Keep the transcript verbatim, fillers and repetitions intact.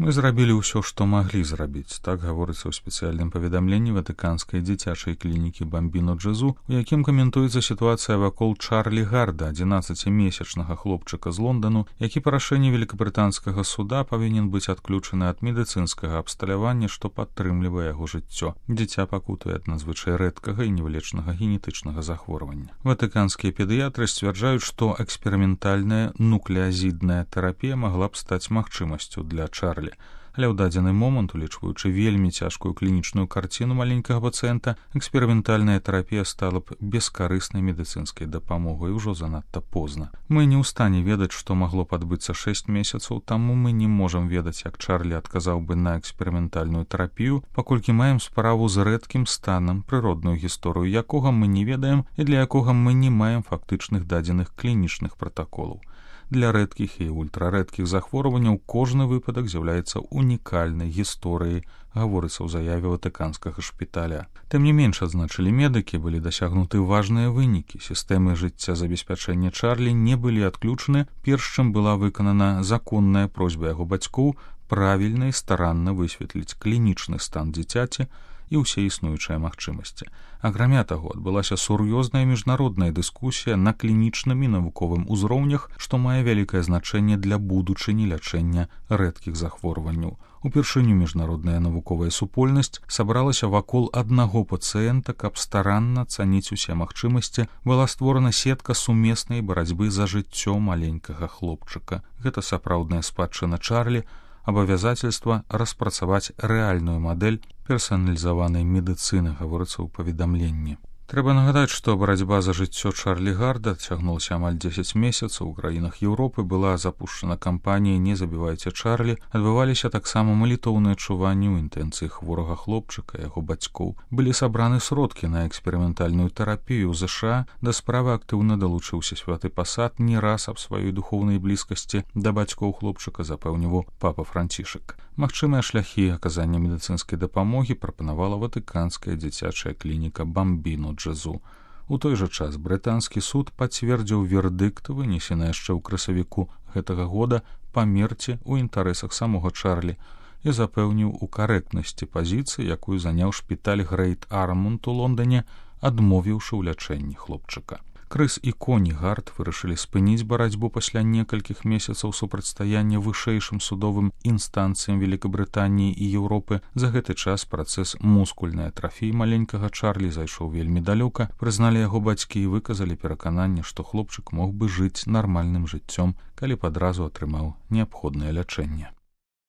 Мы зрабілі ўсё, што маглі зрабіць, так гаворыцца ў спецыяльным паведамленні ватыканскай дзіцячай клінікі Бамбіно Джезу, у якім каментуецца сітуацыя вакол Чарлі Гарда, адзінаццацімесячнага хлопчыка з Лондану, які па рашэнні великабрытанскага суда павінен быць адключаны ад медыцынскага абсталявання, што падтрымлівае яго жыццё. Дзіця пакутуе ад надзвычай рэдкага і невылечнага генетычнага захворвання. Ватыканскія педыятры сцвярджаюць, што эксперыментальная нуклеазідная тэрапія магла б стаць магчымасцю для Чарлі. Але ў дадзены момант, улічваючы вельмі цяжкую клінічную карціну маленькага пацыента, эксперыментальная тэрапія стала б бескарыснай медыцынскай дапамогай ужо занадта позна. Мы не ў стане ведаць, што магло б адбыцца шэсць месяцаў таму, мы не можам ведаць, як Чарлі адказаў бы на эксперыментальную тэрапію, паколькі маем справу з рэдкім станам, прыродную гісторыю якога мы не ведаем і для якога мы не маем фактычных дадзеных клінічных пратаколаў. Для рэдкіх і ультрарэдкіх захворванняў кожны выпадак з'яўляецца унікальнай гісторыяй, гаворыцца ў заяве ватыканскага шпіталя. Тым не менш, адзначылі медыкі, былі дасягнуты важныя вынікі. Сістэмы жыццязабеспячэння Чарлі не былі адключаны, перш чым была выканана законная просьба яго бацькоў правільна і старанна высветліць клінічны стан дзіцяці і ўсе існуючыя магчымасці. Акрамя таго, адбылася сур'ёзная міжнародная дыскусія на клінічным і навуковым узроўнях, што мае вялікае значэнне для будучыні лячэння рэдкіх захворванняў. Упершыню міжнародная навуковая супольнасць сабралася вакол аднаго пацыента, каб старанна цаніць усе магчымасці, была створана сетка сумеснай барацьбы за жыццё маленькага хлопчыка. Гэта сапраўдная спадчына Чарлі, абавязательства распрацаваць рэальную мадэль персаналізаванай медыцыны, гаворыцца ў паведамленні. Трэба нагадаць, што барацьба за жыццё Чарлі Гарда цягнулася амаль дзесяць месяцаў. У краінах Еўропы была запушчана кампанія «Не забівайце Чарлі», адбываліся таксама малітоўныя чуванні ў інтэнцыі хворага хлопчыка, яго бацькоў. Былі сабраны сродкі на эксперыментальную тэрапію ў ЗША, да справы актыўна далучыўся святы пасад, не раз аб сваёй духоўнай блізкасці да бацькоў хлопчыка запэўніваў папа Францішак. Магчымыя шляхі аказання медыцынскай дапамогі прапанавала ватыканская дзіцячая клініка Бамбіно Джезу. У той жа час брытанскі суд пацвердзіў вердыкт, вынесены яшчэ ў красавіку гэтага года, памерці ў інтарэсах самога Чарлі і запэўніў у карэктнасці пазіцыі, якую заняў шпіталь Грэйт Армунд у Лондане, адмовіўшы ў лячэнні хлопчыка. Крыс і Коні Гард вырашылі спыніць барацьбу пасля некалькіх месяцаў супрацьстаяння вышэйшым судовым інстанцыям Великабрытаніі і Еўропы. За гэты час працэс мускульнай атрафіі маленькага Чарлі зайшоў вельмі далёка, прызналі яго бацькі і выказалі перакананне, што хлопчык мог бы жыць нармальным жыццём, калі б адразу атрымаў неабходнае лячэнне.